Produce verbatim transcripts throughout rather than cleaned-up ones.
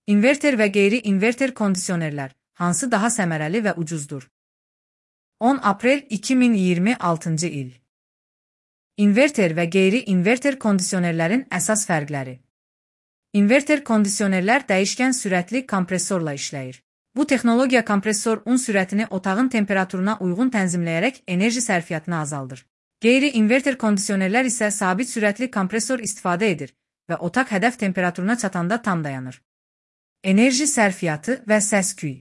İnverter və qeyri-inverter kondisionerlər hansı daha səmərəli və ucuzdur? on aprel iki min iyirmi altıncı il. İnverter və qeyri-inverter kondisionerlərin əsas fərqləri. İnverter kondisionerlər dəyişkən sürətli kompresorla işləyir. Bu texnologiya kompresor un sürətini otağın temperaturuna uyğun tənzimləyərək enerji sərfiyyatını azaldır. Qeyri-inverter kondisionerlər isə sabit sürətli kompresor istifadə edir və otaq hədəf temperaturuna çatanda tam dayanır. Enerji sərfiyyatı və səs-küy.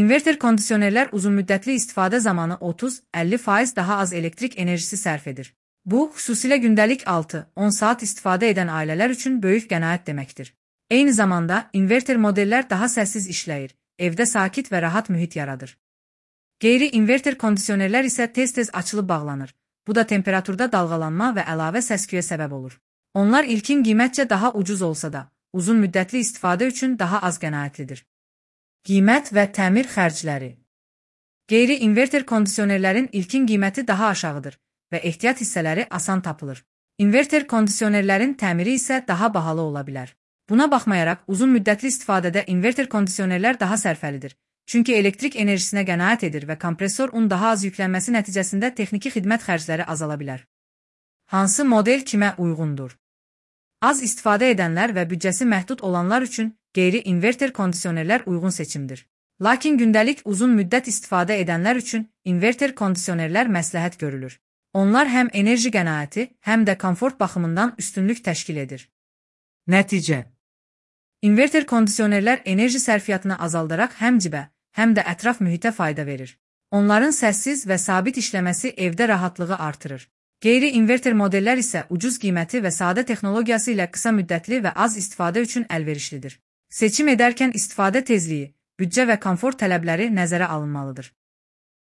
İnverter kondisionerlər uzunmüddətli istifadə zamanı otuz əlli faiz daha az elektrik enerjisi sərf edir. Bu, xüsusilə gündəlik altı on saat istifadə edən ailələr üçün böyük qənaət deməkdir. Eyni zamanda, inverter modellər daha səssiz işləyir, evdə sakit və rahat mühit yaradır. Qeyri-inverter kondisionerlər isə tez-tez açılıb bağlanır. Bu da temperaturda dalğalanma və əlavə səs-küyə səbəb olur. Onlar ilkin qiymətcə daha ucuz olsa da, uzun müddətli istifadə üçün daha az qənaətlidir. Qiymət və təmir xərcləri. Qeyri-inverter kondisionerlərin ilkin qiyməti daha aşağıdır və ehtiyat hissələri asan tapılır. İnverter kondisionerlərin təmiri isə daha bahalı ola bilər. Buna baxmayaraq, uzun müddətli istifadədə inverter kondisionerlər daha sərfəlidir. Çünki elektrik enerjisinə qənaət edir və kompresor un daha az yüklənməsi nəticəsində texniki xidmət xərcləri azala bilər. Hansı model kimə uyğundur? Az istifadə edənlər və büdcəsi məhdud olanlar üçün qeyri-inverter kondisionerlər uyğun seçimdir. Lakin gündəlik uzun müddət istifadə edənlər üçün inverter kondisionerlər məsləhət görülür. Onlar həm enerji qənaəti, həm də komfort baxımından üstünlük təşkil edir. Nəticə. İnverter kondisionerlər enerji sərfiyyatını azaldaraq həm cibə, həm də ətraf mühitə fayda verir. Onların səssiz və sabit işləməsi evdə rahatlığı artırır. Qeyri-inverter modellər isə ucuz qiyməti və sadə texnologiyası ilə qısa müddətli və az istifadə üçün əlverişlidir. Seçim edərkən istifadə tezliyi, büdcə və komfort tələbləri nəzərə alınmalıdır.